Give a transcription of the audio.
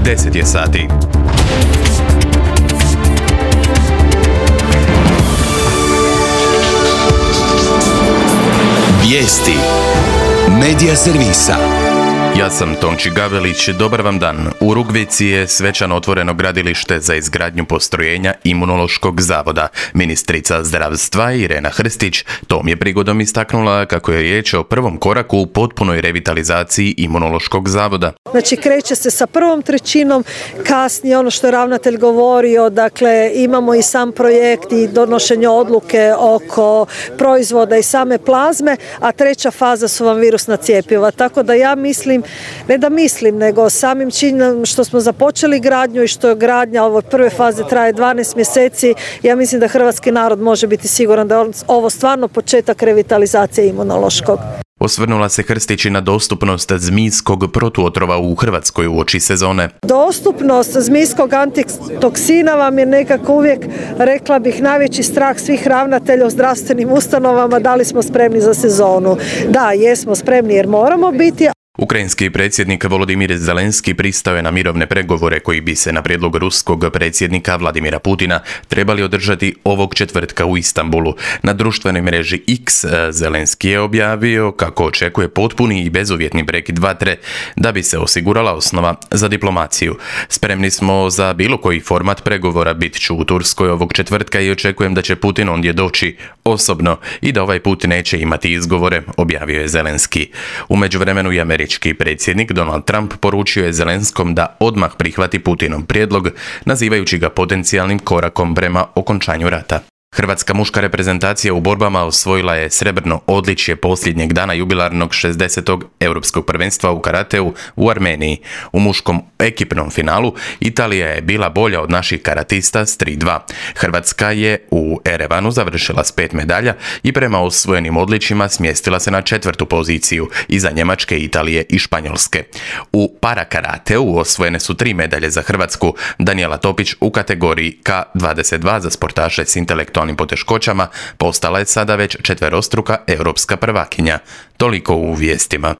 10 je sati. Vijesti Medija servisa. Ja sam Tonči Gavelić, dobar vam dan. U Rugvici je svečano otvoreno gradilište za izgradnju postrojenja Imunološkog zavoda. Ministrica zdravstva Irena Hrstić tom je prigodom istaknula kako je riječ o prvom koraku u potpunoj revitalizaciji Imunološkog zavoda. Znači kreće se sa prvom trećinom, kasnije ono što je ravnatelj govorio, dakle imamo i sam projekt i donošenje odluke oko proizvoda i same plazme, a treća faza su vam virusna cjepiva. Tako da ja mislim, ne da mislim, nego samim činom što smo započeli gradnju i što je gradnja ove prve faze traje 12 mjeseci, ja mislim da hrvatski narod može biti siguran da je ovo stvarno početak revitalizacije imunološkog. Osvrnula se Hrstić i na dostupnost zmijskog protuotrova u Hrvatskoj uoči sezone. Dostupnost zmijskog antitoksina vam je nekako uvijek, rekla bih, najveći strah svih ravnatelja u zdravstvenim ustanovama. Da li smo spremni za sezonu? Da, jesmo spremni jer moramo biti. Ukrajinski predsjednik Volodimir Zelenski pristao je na mirovne pregovore koji bi se na prijedlog ruskog predsjednika Vladimira Putina trebali održati ovog četvrtka u Istanbulu. Na društvenoj mreži X Zelenski je objavio kako očekuje potpuni i bezuvjetni prekid vatre da bi se osigurala osnova za diplomaciju. Spremni smo za bilo koji format pregovora, bit ću u Turskoj ovog četvrtka i očekujem da će Putin ondje doći osobno i da ovaj put neće imati izgovore, objavio je Zelenski. U međuvremenu i američki predsjednik Donald Trump poručio je Zelenskom da odmah prihvati Putinov prijedlog, nazivajući ga potencijalnim korakom prema okončanju rata. Hrvatska muška reprezentacija u borbama osvojila je srebrno odličje posljednjeg dana jubilarnog 60. europskog prvenstva u karateu u Armeniji. U muškom ekipnom finalu Italija je bila bolja od naših karatista s 3-2. Hrvatska je u Erevanu završila s 5 medalja i prema osvojenim odličjima smjestila se na 4. poziciju iza Njemačke, Italije i Španjolske. U parakarateu osvojene su 3 medalje za Hrvatsku. Daniela Topić u kategoriji K22 za sportaše s intelektualnim poteškoćama postala je sada već četverostruka europska prvakinja. Toliko u vijestima.